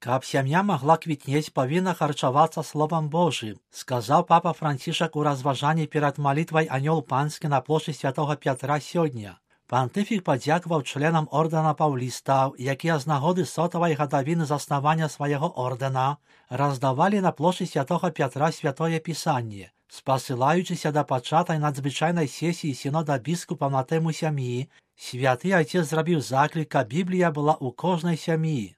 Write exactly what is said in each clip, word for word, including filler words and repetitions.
Каб сям'я магла квітнець, павінна харчавацца Словам Божым, сказаў папа Францішак у разважанні перад малітвай Анёл Панскі на плошчы святога Пятра сёння. Пантыфік падзякаваў членам ордэна паўлістаў, якія з нагоды сотавай гадавіны заснавання свайго ордэна раздавалі на плошчы святога Пятра святое пісанне. Спасылаючыся да пачатай надзвычайнай сесіі сінода біскупаў на тэму сям'і, святы айцец зрабіў заклік, каб Біблія была ў кожнай сям'і.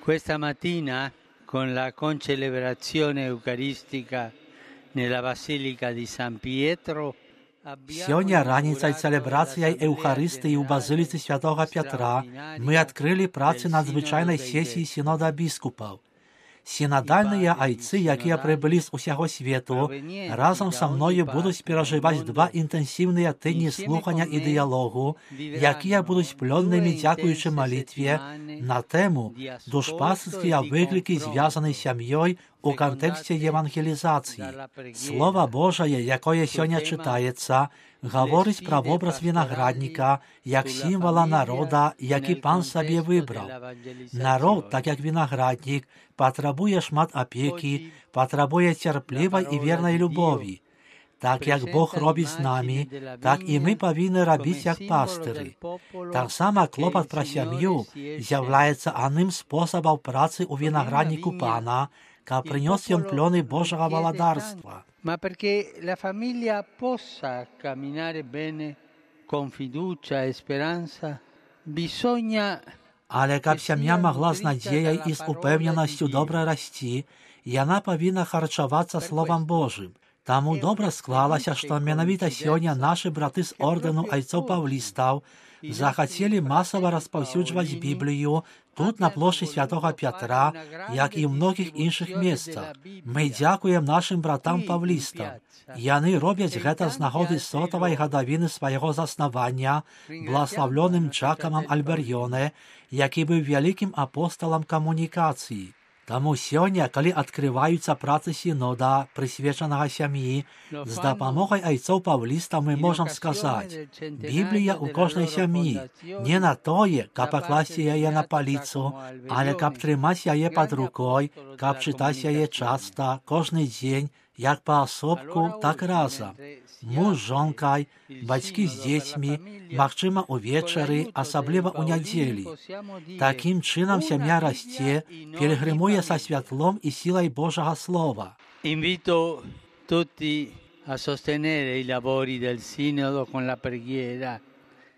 Questa mattina, con la concelebrazione eucaristica nella Basilica di San Pietro, Сёння раніцай цэлебрацыяй Еўхарыстыі ў базыліцы святога Пятра мы адкрылі працы надзвычайнай сесіі сінода біскупаў. Сінадальныя айцы, якія прыбылі з усяго свету, разам са мною будуць перажываць два інтэнсіўныя тыдні слухання і дыялогу, якія будуць плённымі дзякуючы малітве на тэму душпасыцкія выклікі, звязаны з сям'ёй у кантэксце евангелізацыі. Слова Божае, якое сёння чытаецца, гаворыць пра вобраз вінаградніка як сімвала народа, які пан сабе выбраў. Народ, так як вінаграднік, патрабуе шмат апекі, патрабуе цярплівай і вернай любові. Так як Бог робіць з намі, так і мы павінны рабіць як пастыры. Таксама клопат пра сям'ю з'яўляецца адным з спосабаў працы ў вінаградніку пана, каб прынёс ён плёны Божага валадарства. Ma perché la famiglia possa camminare bene con fiducia e speranza, bisogna... Але каб сям'я магла з надзеяй і з упэўненасцю добра расці, яна павінна харчавацца Словам Божым. Таму добра склалася, што менавіта сёння нашы браты з ордэну айцоў паўлістаў захацелі масава распаўсюджваць Біблію тут, на плошчы святога Пятра, як і ў многіх іншых месцах. Мы дзякуем нашым братам паўлістам. Яны робяць гэта з нагоды сотавай гадавіны свайго заснавання бласлаўлёным Джакамам Альберёне, які быў вялікім апосталам камунікацыі. Таму сёння, калі адкрываюцца працы сінода, прысвечанага сям'і, з дапамогай айцоў паўлістаў мы можам сказаць: Біблія ў кожнай сям'і, не на тое, каб пакласці яе на паліцу, але каб трымаць яе пад рукой, каб чытаць яе часта, кожны дзень, як паасобку, так разам. Муж з жонкай, бацькі з дзецьмі, магчыма, увечары, асабліва ў нядзелі. Такім чынам сям'я расце, пільгрымуе са святлом і сілай Божага Слова. Invito tutti a sostenere i lavori del sinodo con la preghiera.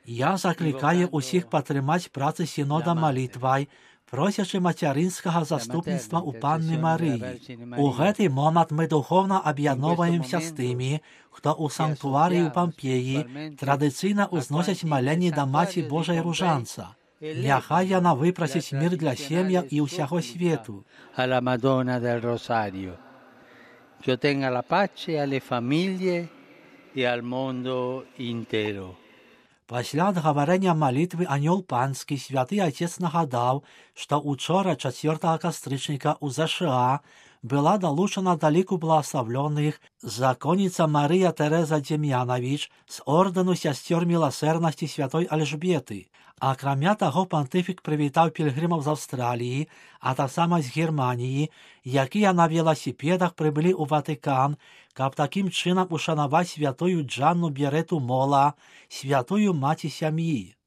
Я закликаю усіх падтрымаць працы сінода малітвай, просячы мацярынскага заступніцтва ў Панны Марыі. У гэты момант мы духовна аб'ядноўваемся з тымі, хто ў санктуарыі ў Пампеі традыцыйна ўзносяць маленні да Маці Божай Ружанца. Няхай яна выпрасіць мір для сем'яў і ўсяго свету. A la Madonna del Rosario, que ottenga la pace alle famiglie e al mondo intero. Пасля адгаварэння малітвы Анёл Панскі святы айцец нагадаў, што учора чацвёртага кастрычніка ў ЗША была далучана да ліку благаславлёных законніца Марыя Тэрэза Дзем'янавіч з ордэну сясцёр міласэрнасці святой Альжбеты. Акрамя таго, пантыфік прывітаў пільгрымаў з Аўстраліі, а таксама з Германіі, якія на веласіпедах прыбылі ў Ватыкан, каб такім чынам ушанаваць святую Джанну Берету Мола, святую маці сям'і.